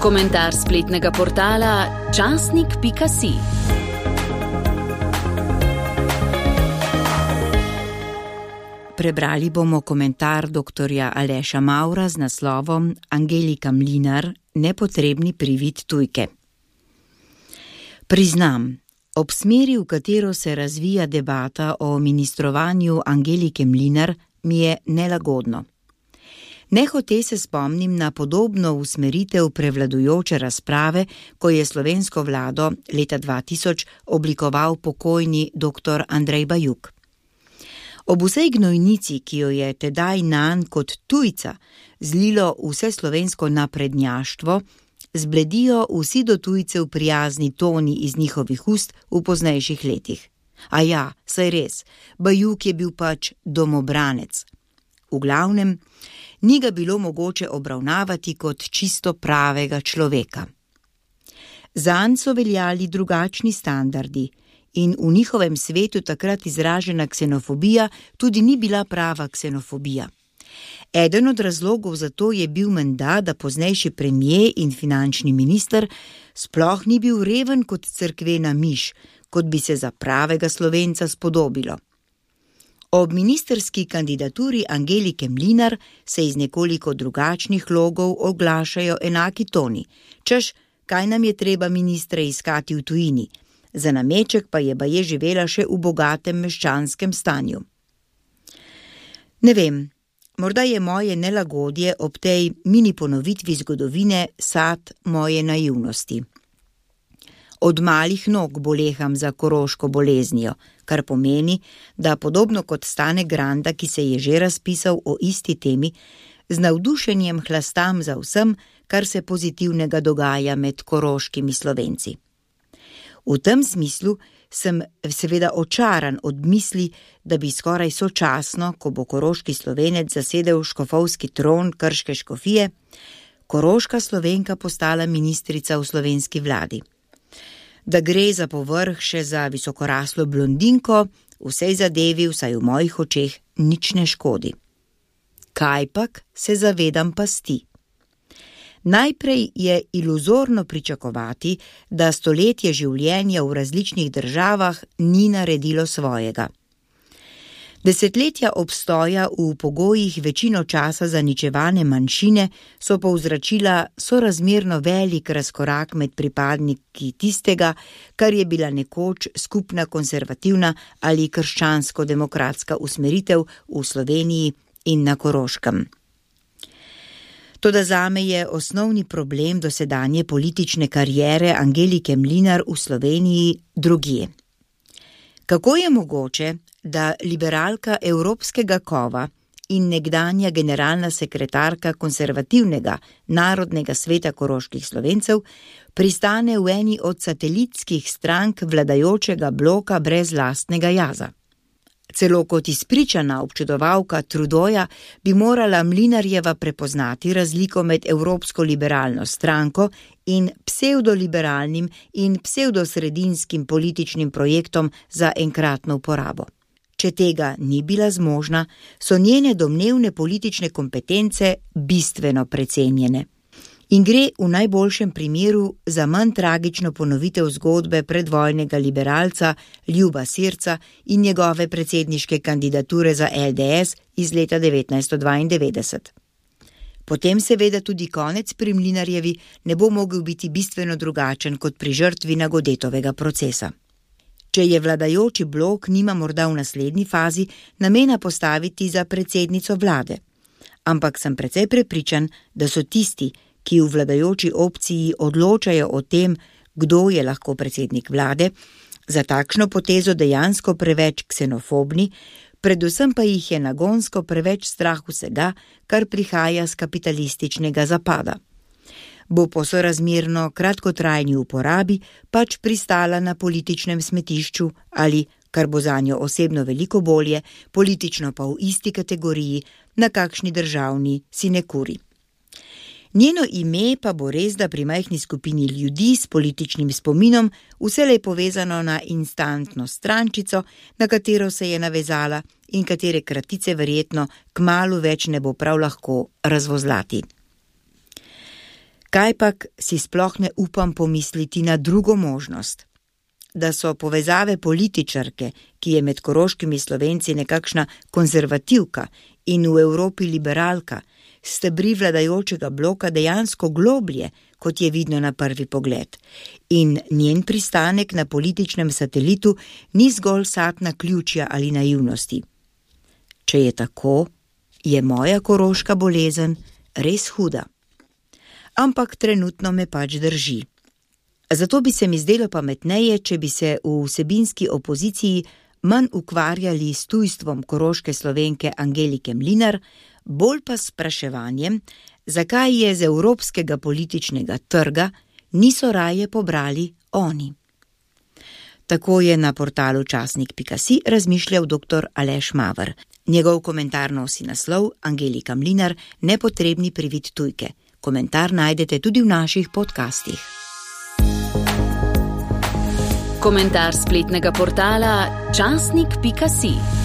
Komentar spletnega portala časnik.si. Prebrali bomo komentar dr. Aleša Mavra z naslovom Angelika Mlinar, nepotrebni privid tujke. Priznam, ob smeri, v katero se razvija debata o ministrovanju Angelike Mlinar, mi je nelagodno. Nehote se spomnim na podobno usmeritev prevladujoče razprave, ko je slovensko vlado leta 2000 oblikoval pokojni dr. Andrej Bajuk. Ob vsej gnojnici, ki jo je tedaj nanj kot tujca zlilo vse slovensko naprednjaštvo, zbledijo vsi do tujcev prijazni toni iz njihovih ust v poznejših letih. A ja, saj res, Bajuk je bil pač domobranec. V glavnem, ni ga bilo mogoče obravnavati kot čisto pravega človeka. Zanj so veljali drugačni standardi in v njihovem svetu takrat izražena ksenofobija tudi ni bila prava ksenofobija. Eden od razlogov za to je bil menda, da poznejši premier in finančni minister sploh ni bil reven kot cerkvena miš, kot bi se za pravega Slovenca spodobilo. Ob ministerski kandidaturi Angelike Mlinar se iz nekoliko drugačnih logov oglašajo enaki toni, češ, kaj nam je treba ministre iskati v tujini, za nameček pa je baje živela še v bogatem meščanskem stanju. Ne vem, morda je moje nelagodje ob tej mini ponovitvi zgodovine sad moje naivnosti. Od malih nog boleham za koroško boleznijo, kar pomeni, da podobno kot Stane Granda, ki se je že razpisal o isti temi, z navdušenjem hlastam za vsem, kar se pozitivnega dogaja med koroškimi Slovenci. V tem smislu sem seveda očaran od misli, da bi skoraj sočasno, ko bo koroški Slovenec zasedel škofovski tron krške škofije, koroška Slovenka postala ministrica v slovenski vladi. Da gre za povrh še za visokoraslo blondinko, vsej zadevi, vsaj v mojih očeh, nič ne škodi. Kajpak se zavedam pasti. Najprej je iluzorno pričakovati, da stoletje življenja v različnih državah ni naredilo svojega. Desetletja obstoja v pogojih večino časa zaničevane manjšine so povzročila sorazmerno velik razkorak med pripadniki tistega, kar je bila nekoč skupna konservativna ali krščansko-demokratska usmeritev v Sloveniji in na Koroškem. Toda zame je osnovni problem dosedanje politične kariere Angelike Mlinar v Sloveniji drugje. Kako je mogoče, da liberalka evropskega kova in nekdanja generalna sekretarka konservativnega Narodnega sveta koroških Slovencev pristane v eni od satelitskih strank vladajočega bloka brez lastnega jaza? Celo kot izpričana občudovalka Trudeauja bi morala Mlinarjeva prepoznati razliko med evropsko liberalno stranko in psevdoliberalnim in psevdosredinskim političnim projektom za enkratno uporabo. Če tega ni bila zmožna, so njene domnevne politične kompetence bistveno precenjene. In gre v najboljšem primeru za manj tragično ponovitev zgodbe predvojnega liberalca Ljuba Sirca in njegove predsedniške kandidature za LDS iz leta 1992. Potem seveda tudi konec pri Mlinarjevi ne bo mogel biti bistveno drugačen kot pri žrtvi Nagodetovega procesa. Če je vladajoči blok nima morda v naslednji fazi namena postaviti za predsednico vlade, ampak sem precej prepričan, da so tisti, ki v vladajoči opciji odločajo o tem, kdo je lahko predsednik vlade, za takšno potezo dejansko preveč ksenofobni, predvsem pa jih je nagonsko preveč strah vsega, kar prihaja z kapitalističnega zapada. Bo po sorazmerno kratkotrajni uporabi pač pristala na političnem smetišču ali, kar bo zanjo osebno veliko bolje, politično pa v isti kategoriji, na kakšni državni sinekuri. Njeno ime pa bo res da pri majhni skupini ljudi s političnim spominom vselej povezano na instantno strančico, na katero se je navezala in katere kratice verjetno kmalu več ne bo prav lahko razvozlati. Kajpak si sploh ne upam pomisliti na drugo možnost. Da so povezave političarke, ki je med koroškimi Slovenci nekakšna konzervativka in v Evropi liberalka, stebri vladajočega bloka dejansko globlje, kot je vidno na prvi pogled. In njen pristanek na političnem satelitu ni zgolj sad naključja ali naivnosti. Če je tako, je moja koroška bolezen res huda. Ampak trenutno me pač drži. Zato bi se mi zdelo pametneje, če bi se v vsebinski opoziciji manj ukvarjali s tujstvom koroške Slovenke Angelike Mlinar, bolj pa s spraševanjem, zakaj je z evropskega političnega trga niso raje pobrali oni. Tako je na portalu časnik.si razmišljal dr. Aleš Maver. Njegov komentar nosi naslov Angelika Mlinar, nepotrebni privid tujke. Komentar najdete tudi v naših podcastih. Komentar spletnega portala časnik.si.